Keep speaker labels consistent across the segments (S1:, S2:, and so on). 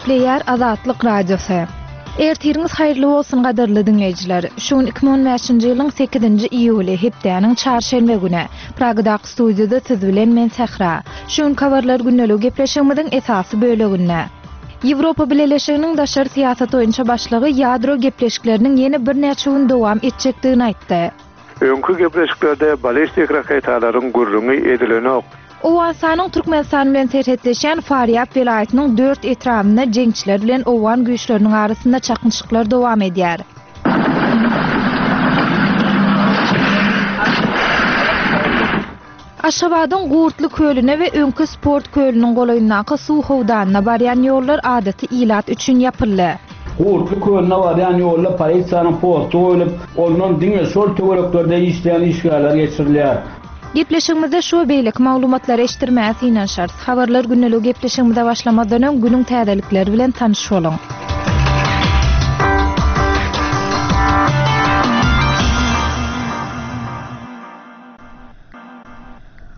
S1: Gepleýär Azatlyk Radiosy. Ertiriňiz haýyrly bolsun gadyrly diňleýjiler. Şu gün 2015-nji ýylyň 8-nji iýuly, hepdäniň çarşenbe güni. Pragadaky studiýada siz bilen men Sähra. Şu günki habarlar gündeligi gepleşigimiziň esasy böleginde. Ýewropa Bileleşiginiň daşary syýasat boýunça başlygy ýadro gepleşikleriniň ýene birnäçe gün dowam etjekdigini aýtdy.
S2: Öňki gepleşiklerde ballistik raketalaryň gürrüňi edilenok.
S1: Owganystanyň Türkmenistan bilen serhetleşýän Farýab welaýatynyň dört etrabynda jeňçiler bilen owgan güýçleriniň arasynda çaknyşyklar dowam edýär. Aşgabadyň Gurtly kölüne we öňki sport kölüniň golaýyndaky suw howdanyna barýan ýollar adaty ilat üçin ýapyldy.
S3: Gurtly kölüne barýan ýolda polisiýanyň posty goýlup, ondan diňe şol töwereklerde işleýän işgärler geçirilýär.
S1: Gepleşigimizde şu we beýleki maglumatlary eşitdirmäge synanyşarys. Habarlar gündeligi gepleşigimize başlamazdan öň günüň täzelikleri bilen tanyş boluň.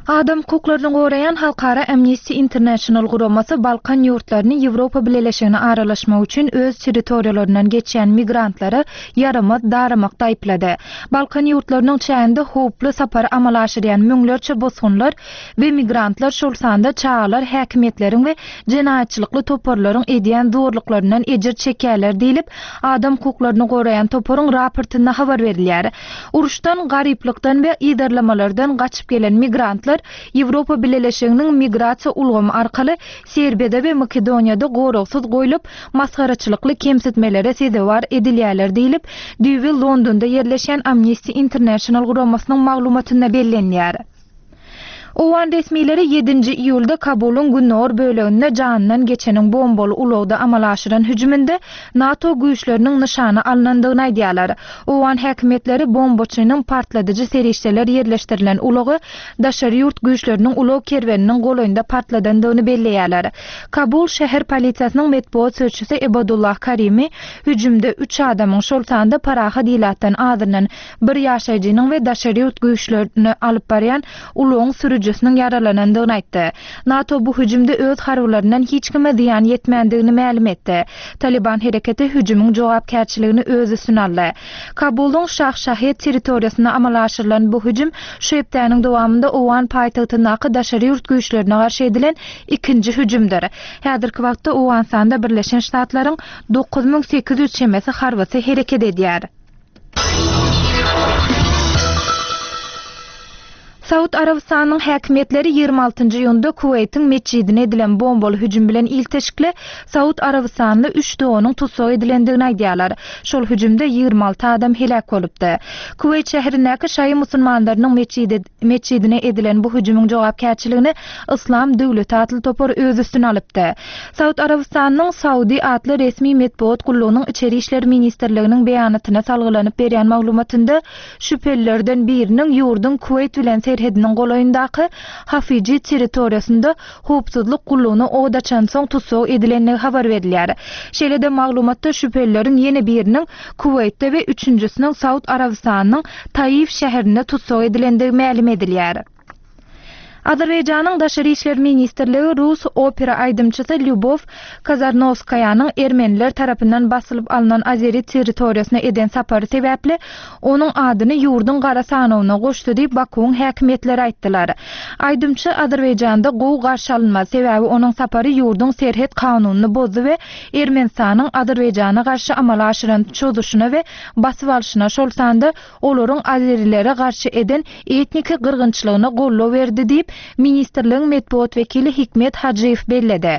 S1: Adam hukuklaryny goraýan halkara Amnesty International guramasy Balkan ýurtlaryny Ýewropa Bileleşigine aralaşmak üçin öz territoriýalaryndan geçýän migrantlara ýaramaz daramakda aýyplady. Balkan ýurtlarynyň çäginde howply sapary amala aşyrýan müňlerçe bosgunlar we migrantlar, şol sanda çagalar häkimiýetleriň we jenaýatçylykly toparlaryň edýän zorluklaryndan ejir çekýärler diýlip, adam hukuklaryny goraýan toparyň raportynda habar berilýär. Uruşdan, garyplykdan we yzarlamalardan gaçyp gelen migrantlar Ýewropa Bileleşiginiň migrasiýa ulgamy arkaly Serbiýada we Makedoniýada goragsyz goýlup, masgaraçylykly kemsitmelere sezewar edilýärler diýlip, düýbi Londonda ýerleşýän Amnesty International guramasynyň maglumatynda bellenýär. Owgan resmileri ýedinji iýulda Kabulyň gündogar böleginde janyndan geçeniň bombaly ulagda amala aşyran hüjüminde NATO güýçleriniň nyşana alnandygyny aýdýarlar. Owgan häkimiýetleri bombaçynyň partladyjy serişdeler ýerleşdirilen ulagy daşary ýurt güýçleriniň ulag kerweniniň golaýynda partladandygyny belleýärler. Kabul şäher polisiýasynyň metbugat sözçüsi Ebadullah Karimi hüjümde üç adamyň, şol sanda parahat ilatdan azyndan bir ýaşaýjynyň we daşary ýurt güýçlerini alyp barýan ulagyň sürüjisiniň ýaralanandygyny aýtdy. NATO bu hüjümde öz harbylaryndan hiç kime zyýan ýetmändigini mälim etdi. Talyban hereketi hüjümiň jogapkärçiligini öz üstüne aldy. Kabulyň Şah Şahed territoriýasynda amala aşyrylan bu hüjüm şu hepdäniň dowamynda owgan paýtagtyndaky daşary ýurt güýçlerine garşy edilen ikinji hüjümdir. Häzirki wagtda Owganystanda Birleşen Ştatlaryň 9800 çemesi harbysy hereket edýär. Saud Arabystanynyň häkimiýetleri 26-njy iýunda Kuweýtiň metjidine edilen bombaly hüjüm bilen ilteşikli saud arabystanly üç doganyň tussag edilendigini aýdýarlar. Şol hüjümde 26 adam heläk bolupdy. Kuweýt şäherindäki şaýy musulmanlarynyň metjidine edilen bu hüjümiň jogapkärçiligini Yslam döwleti atly topar öz üstüne alypdy. Saud Arabystanynyň Saudi atly resmi metbugat gullugynyň Içeri işler ministrliginiň beýanatyna salgylanyp berýän maglumatynda şübhelilerden biriniň ýurduň Kuweýt bilen serhediniň golaýyndaky Hafiji territoriýasynda howpsuzlyk gullugyna od açansoň tussag edilendigi habar berilýär. Şeýle-de maglumatda şübhelileriň ýene biriniň Kuweýtde we üçünjisiniň Saud Arabystanynyň Taif şäherinde tussag edilendigi mälim edilýär. Azerbaýjanyň Daşary işler ministrligi rus opera aýdymçysy Lýubow Kazarnowskaýanyň ermeniler tarapyndan basylyp alnan azeri territoriýasyna eden sapary sebäpli onuň adyny ýurduň gara sanawyna goşdy diýip Bakuwyň häkimiýetleri aýtdylar. Aýdymçy Azerbaýjanda gowy garşy alynmaz, sebäbi onuň sapary ýurduň serhet kanunyny bozdy we Ermenistanyň Azerbaýjana garşy amala aşyran çozuşyna we basyp alşyna, şol sanda olaryň azerilere garşy eden etniki gyrgynçylygyna goldaw berdi diýip, ministrligiň metbugat wekili Hikmet Hajyýew belledi.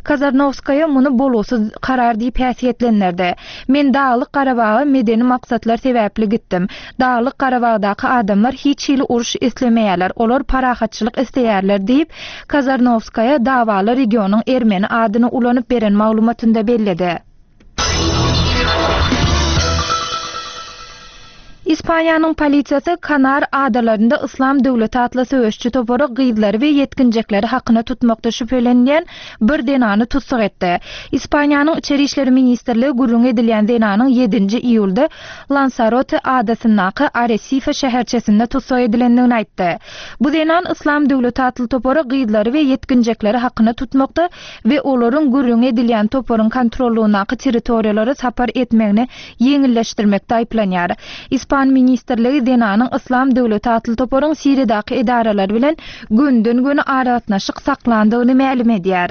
S1: Kazarnowskaýa muny bolgusyz karar diýip häsiýetlendirdi. Men Daglyk Garabaga medeni maksatlar sebäpli gitdim. Daglyk Garabagdaky adamlar hiç hili uruş islemeýärler, olar parahatçylyk isleýärler diýip, Kazarnowskaýa dawaly regionyň ermeni adyny ulanyp beren maglumatynda belledi. Ispaniýanyň polisiýasy Kanar adalarynda Yslam döwleti atly söweşçi topary gyzlary we ýetginjekleri hakyna tutmakda şübhelenilýän bir zenany tussag etdi. Ispaniýanyň Içeri işler ministrligi gürrüňi edilýän zenanyň ýedinji iýulda Lansarote adasyndaky Aresife şäherçesinde tussag edilendigini aýtdy. Bu zenan Yslam döwleti atly topary gyzlary we ýetginjekleri hakyna tutmakda we olaryň gürrüňi edilýän toparyň kontrollygyndaky territoriýalara sapar etmegini ýeňilleşdirmekde aýyplanýar. Ispan ministrligi zenanyň Yslam döwleti atly toparyň Siriýadaky edaralary bilen gönüden-göni aragatnaşyk saklandygyny mälim edýär.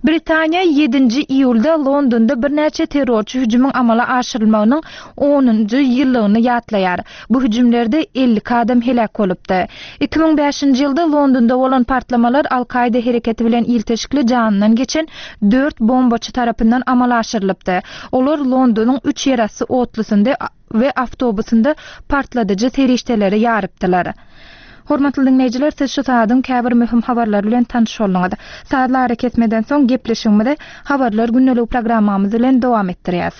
S1: Britaniýa ýedinji iýulda Londonda birnäçe terrorçy hüjümiň amala aşyrylmagynyň onunjy ýyllygyny ýatlaýar. Bu hüjümlerde 52 adam heläk bolupdy. 2005-nji ýylda Londonda bolan partlamalar Al-Kaýda hereketi bilen ilteşikli janyndan geçen dört bombaçy tarapyndan amala aşyrylypdy. Olar Londonyň üç ýerasty otlusynda we awtobusynda partladyjy serişdeleri ýarypdylar. Hormatly diňleýjiler, siz şu sagadyň käbir möhüm habarlary bilen tanyş bolduňyz. Sazly arakesmeden soň gepleşigimizi Habarlar gündeligi programmamyz bilen dowam etdirýäs.